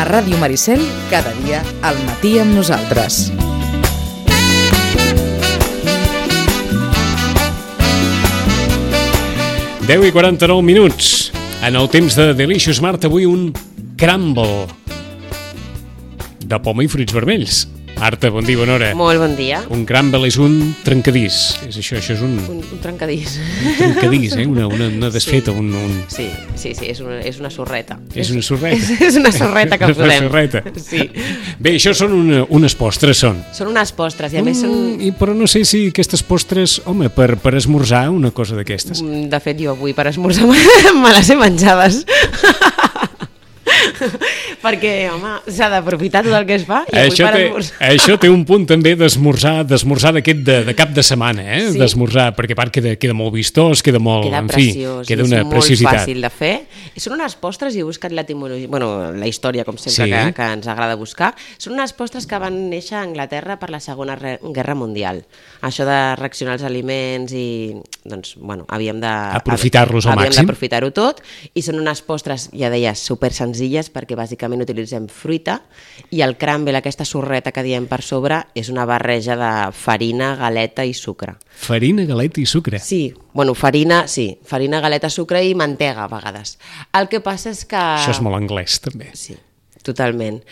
A Ràdio Maricel, cada dia al matí amb nosaltres. Deu i 49 minuts. En el temps de Delicious Mart, avui un crumble de poma i fruits vermells. Marta, bon dia, bona hora. Molt bon dia. Un crumble és un trencadís. És això és un trencadís. Un trencadís, una desfeta. Sí, és una sorreta. És una sorreta? És una sorreta que posem. Una sorreta. Sí. Bé, això són unes postres, són. Són unes postres i a més són... Però no sé si aquestes postres, home, per esmorzar, una cosa d'aquestes. De fet, jo avui per esmorzar me les he menjades. Perquè, home, s'ha d'aprofitar tot el que es fa i avui per esmorzar. Això té un punt també d'esmorzar d'aquest de cap de setmana, Sí. D'esmorzar, perquè a part queda molt vistós, queda molt... Queda preciós, queda una és preciositat. molt fàcil de fer. Són unes postres, i he buscat l'etimologia, la història, com sempre, que ens agrada buscar. Són unes postres que van néixer a Anglaterra per la Segona Guerra Mundial. Això de reaccionar als aliments i, doncs, havíem de... Aprofitar-los al màxim. Havíem d'aprofitar-ho tot, i són unes postres, ja deies, super senzilles, perquè bàsicament utilitzem fruita, i el crumble, aquesta sorreta que diem per sobre, és una barreja de farina, galeta i sucre. Farina, galeta i sucre? Sí, farina, galeta, sucre i mantega a vegades. El que passa és que... Això és molt anglès, també. Sí, totalment.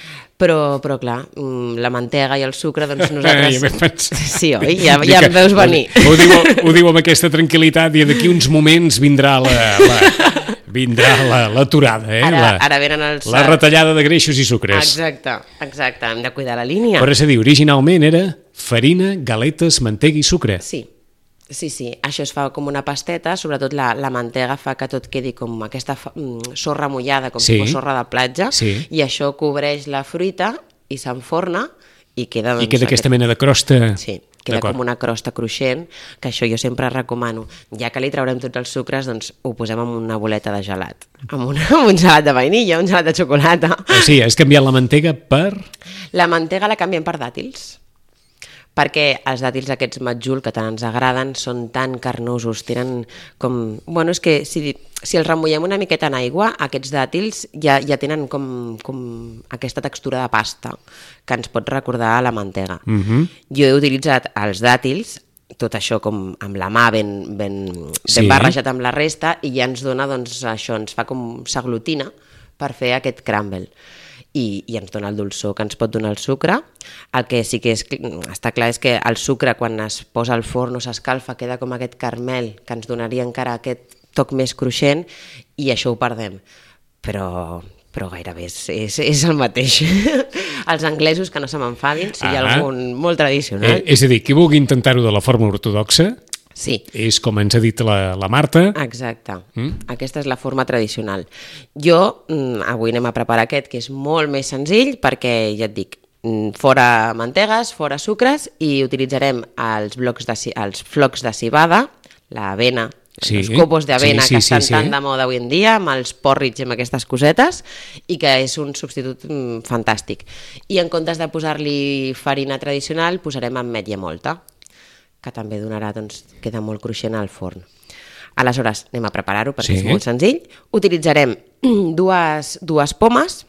Però clar, la mantega i el sucre, doncs nosaltres... Sí, oi? Ja em veus venir. Ho diu amb aquesta tranquil·litat i d'aquí uns moments vindrà l'aturada, Ara venen els... La retallada de greixos i sucres. Exacte, hem de cuidar la línia. Però és a dir, originalment era farina, galetes, mantega i sucre. Sí, això es fa com una pasteta, sobretot la mantega fa que tot quedi com aquesta sorra mullada, com si fos sorra de platja, i això cobreix la fruita i s'enforna i queda... I queda aquesta mena de crosta... Sí, queda com una crosta cruixent, que això jo sempre recomano. Ja que li traurem tots els sucres, doncs ho posem en una boleta de gelat. Amb un gelat de vainilla, un gelat de xocolata. O sigui, has canviat la mantega per... La mantega la canviem per dàtils, perquè els dàtils aquests matjul que tant ens agraden són tan carnosos, tenen com... Bueno, és que si els remullem una miqueta en aigua, aquests dàtils ja tenen com aquesta textura de pasta que ens pot recordar a la mantega. Jo he utilitzat els dàtils, tot això com amb la mà ben barrejat amb la resta, i ja ens dona, doncs, això ens fa com s'aglutina per fer aquest crumble. I ens dona el dolçor que ens pot donar el sucre. El que sí que està clar és que el sucre, quan es posa al forn o s'escalfa, queda com aquest caramel que ens donaria encara aquest toc més cruixent, i això ho perdem. Però gairebé és el mateix. Els anglesos, que no se m'enfadin, si hi ha algun molt tradicional. És a dir, qui vulgui intentar-ho de la forma ortodoxa, sí. És com ens ha dit la Marta. Exacte. Aquesta és la forma tradicional. Jo avui anem a preparar aquest, que és molt més senzill, perquè ja et dic, fora mantegues, fora sucres, i utilitzarem els flocs de civada, l'avena, els copos d'avena que estan tan de moda avui en dia, amb els porridge, amb aquestes cosetes, i que és un substitut fantàstic. I en comptes de posar-li farina tradicional, posarem ametlla mòlta, que també donarà, doncs, queda molt cruixent al forn. Aleshores, anem a preparar-ho perquè és molt senzill. Utilitzarem dues pomes.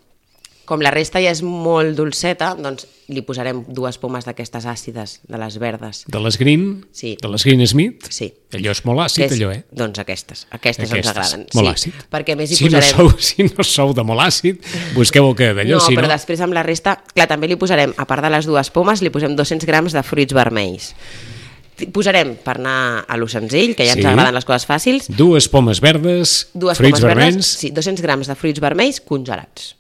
Com la resta ja és molt dolceta, doncs li posarem 2 pomes d'aquestes àcides, de les verdes. De les Green? Sí. De les Green Smith? Sí. Allò és molt àcid, allò, eh? Doncs aquestes ens agraden. Molt àcid. Perquè més hi posarem... Si no sou de molt àcid, busqueu el que d'allò. No, però després amb la resta, clar, també li posarem, a part de les 2 pomes, li posem 200 grams de fruits vermells. Posarem, per anar a lo senzill, que ja ens agraden les coses fàcils... 2 pomes verdes, fruits vermells... Sí, 200 grams de fruits vermells congelats.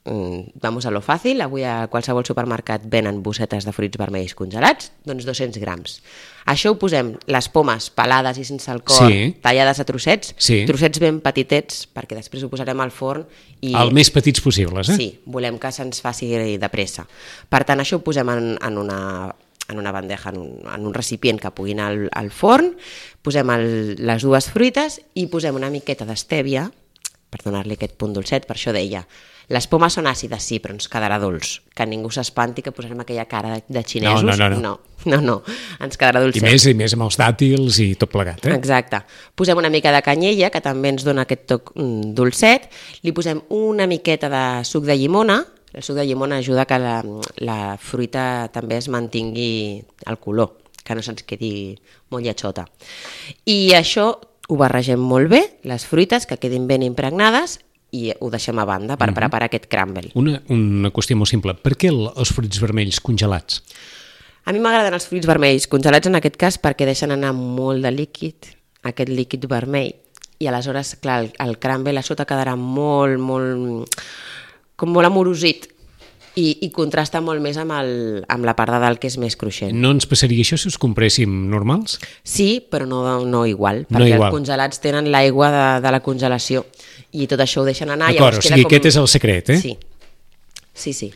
Vamos a lo fàcil, avui a qualsevol supermercat venen bossetes de fruits vermells congelats, doncs 200 grams. Això ho posem, les pomes pelades i sense el cor, tallades a trossets, trossets ben petitets, perquè després ho posarem al forn. El més petits possibles, eh? Sí, volem que se'ns faci de pressa. Per tant, això ho posem en una bandeja, en un recipient que pugui anar al forn, posem les 2 fruites i posem una miqueta d'estèvia, per donar-li aquest punt dolcet. Per això deia, les pomes són àcides, sí, però ens quedarà dolç. Que ningú s'espanti que posarem aquella cara de xinesos. No, ens quedarà dolcet. I més amb els dàtils i tot plegat, eh? Exacte. Posem una mica de canyella, que també ens dona aquest toc dolcet. Li posem una miqueta de suc de llimona. El suc de llimona ajuda que la fruita també es mantingui el color, que no se'ns quedi molt lletjota. I això ho barregem molt bé, les fruites que quedin ben impregnades, i ho deixem a banda per preparar aquest crumble. Una qüestió molt simple. Per què els fruits vermells congelats? A mi m'agraden els fruits vermells congelats en aquest cas perquè deixen anar molt de líquid, aquest líquid vermell, i aleshores, clar, el crumble a sota quedarà molt amorosit, i contrasta molt més amb la part de dalt, que és més cruixent. No ens passaria això si us compréssim normals? Sí, però no igual, perquè els congelats tenen l'aigua de la congelació i tot això ho deixen anar. D'acord, o sigui, aquest és el secret, eh? Sí.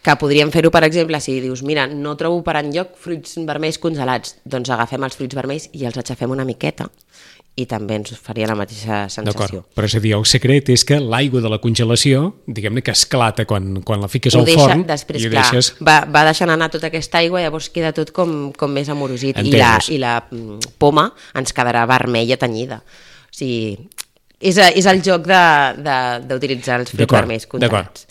Que podríem fer-ho, per exemple, si dius, mira, no trobo per enlloc fruits vermells congelats, doncs agafem els fruits vermells i els aixafem una miqueta, i també ens faria la mateixa sensació. D'acord, però és a dir, el secret és que l'aigua de la congelació, diguem-ne que esclata quan la fiques al forn, després, i ho clar, deixes... va deixant anar tota aquesta aigua, llavors queda tot com més amorosit. I la poma ens quedarà vermella tenyida. O sigui, és el joc d'utilitzar els fruits vermells congelats.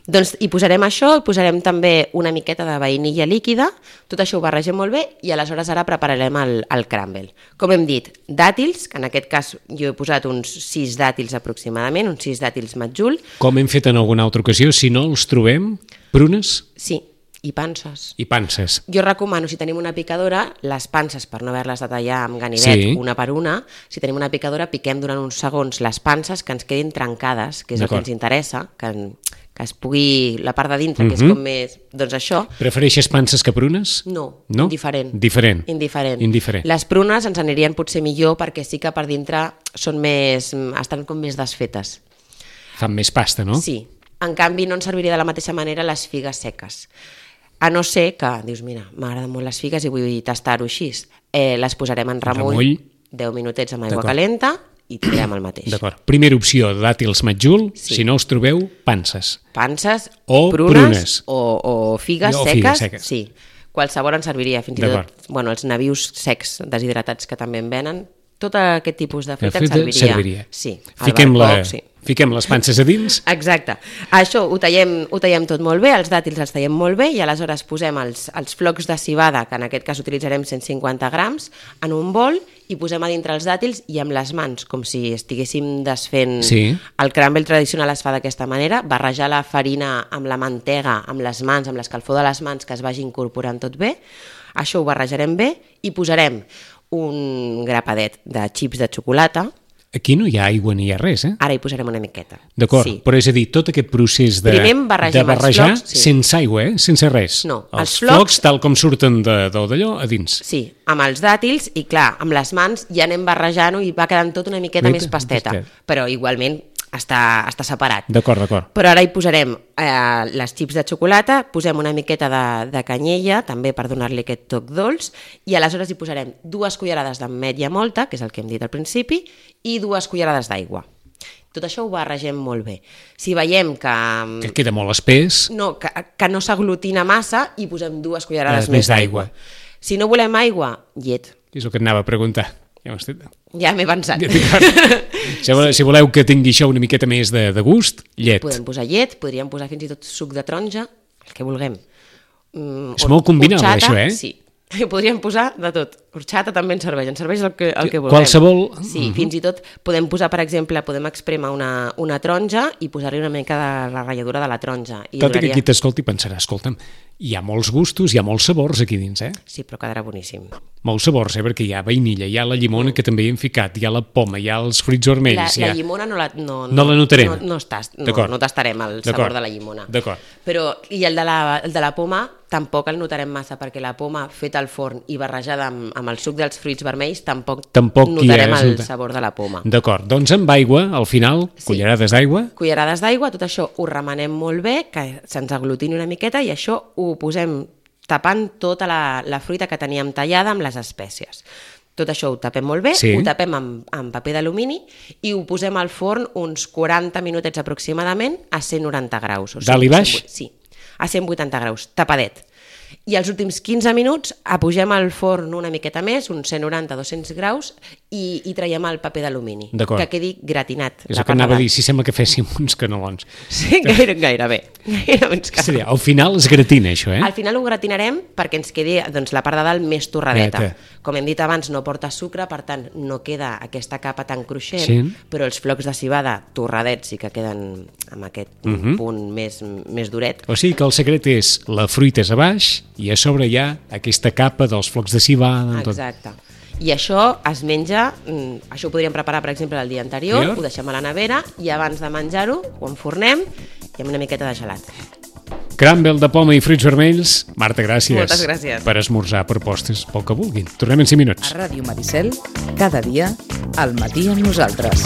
Doncs hi posarem això, hi posarem també una miqueta de vainilla líquida, tot això ho barregem molt bé i aleshores ara prepararem el crumble. Com hem dit, dàtils, que en aquest cas jo he posat uns 6 dàtils aproximadament, uns 6 dàtils matjul. Com hem fet en alguna altra ocasió, si no els trobem, prunes? Sí, i panses. I panses. Jo recomano, si tenim una picadora, les panses, per no haver-les de tallar amb ganivet una per una, si tenim una picadora, piquem durant uns segons les panses que ens quedin trencades, que és el que ens interessa, que es pugui, la part de dintre, que és com més... Doncs això... Prefereixes panses que prunes? No? Indiferent. Les prunes ens anirien potser millor perquè sí que per dintre estan com més desfetes. Fan més pasta, no? Sí. En canvi, no ens serviria de la mateixa manera les figues seques. A no ser que, dius, mira, m'agraden molt les figues i vull tastar-ho així. Les posarem en remull 10 minutets amb aigua calenta i tirem el mateix. D'acord. Primera opció, dàtils matjul, si no us trobeu, panses. Panses, o prunes o figues seques. Sí. Qualsevol ens serviria, fins i tot els nabius secs deshidratats que també en venen, tot aquest tipus de fruita ens serviria. Sí, Fiquem les panses a dins. Exacte. Això ho tallem tot molt bé, els dàtils els tallem molt bé i aleshores posem els flocs de civada, que en aquest cas utilitzarem 150 grams, en un bol i posem a dintre els dàtils i amb les mans, com si estiguéssim desfent el crumble tradicional es fa d'aquesta manera, barrejar la farina amb la mantega, amb les mans, amb l'escalfor de les mans, que es vagi incorporant tot bé. Això ho barrejarem bé i posarem un grapadet de xips de xocolata. Aquí no hi ha aigua ni hi ha res, eh? Ara hi posarem una miqueta. D'acord, però és a dir, tot aquest procés de barrejar sense aigua, sense res. No, els flocs tal com surten d'allò a dins. Sí, amb els dàtils i clar, amb les mans ja anem barrejant-ho i va quedant tot una miqueta més pasteta, però igualment està separat. D'acord. Però ara hi posarem les xips de xocolata, posem una miqueta de canyella, també per donar-li aquest toc dolç, i aleshores hi posarem 2 cullerades d'ametlla mòlta, que és el que hem dit al principi, i 2 cullerades d'aigua. Tot això ho barregem molt bé. Si veiem que queda molt espès... No, que no s'aglutina massa, hi posem 2 cullerades més d'aigua. Si no volem aigua, llet. És el que et anava a preguntar. Ja m'he pensat. Si voleu que tingui això una miqueta més de gust, llet. Podem posar llet, podríem posar fins i tot suc de taronja, el que vulguem. És molt combinable, això, eh? Sí, podríem posar de tot. Horchata també ens serveix el que vulguem. Qualsevol... Sí, fins i tot podem posar, per exemple, podem esprémer una taronja i posar-hi una mica de la ratlladura de la taronja. Tot i que qui t'escolti pensarà, escolta'm, hi ha molts gustos, hi ha molts sabors aquí dins, eh? Sí, però quedarà boníssim. Molts sabors, perquè hi ha vainilla, hi ha la llimona que també hi hem ficat, hi ha la poma, hi ha els fruits vermells... La llimona no la notarem. No tastarem el sabor de la llimona. D'acord. Però, i el de la poma tampoc el notarem massa, perquè la poma feta al forn i barrejada amb el suc dels fruits vermells tampoc notarem el sabor de la poma. D'acord, doncs amb aigua, al final, cullerades d'aigua. Cullerades d'aigua, tot això ho remenem molt bé, que se'ns aglutini una miqueta i això ho posem tapant tota la fruita que teníem tallada amb les espècies. Tot això ho tapem molt bé, Sí. ho tapem amb paper d'alumini i ho posem al forn uns 40 minutets aproximadament a 190 graus. Dalt i baix? Sí, a 180 graus, tapadet. I els últims 15 minuts apugem al forn una miqueta més, uns 190-200 graus, i traiem el paper d'alumini, D'acord. que quedi gratinat. És la el que part de anava a dir, dalt. si sembla que féssim uns canelons. Sí, gairebé. Uns És a dir, al final es gratina, això, Al final ho gratinarem perquè ens quedi doncs, la part de dalt més torradeta. Neta. Com hem dit abans, no porta sucre, per tant, no queda aquesta capa tan cruixent, Sí. però els flocs de cibada torradets sí que queden amb aquest punt més duret. O sigui que el secret és la fruita és a baix i a sobre hi ha aquesta capa dels flocs de cibada. Tot. Exacte. I això es menja, això ho podríem preparar, per exemple, el dia anterior, Millor. ho deixem a la nevera i abans de menjar-ho ho enfornem i amb una miqueta de gelat. Crumble de poma i fruits vermells. Marta, gràcies. Moltes gràcies. Per esmorzar propostes pel que vulguin. Tornem en 5 minuts. A Ràdio Maricel, cada dia, al matí amb nosaltres.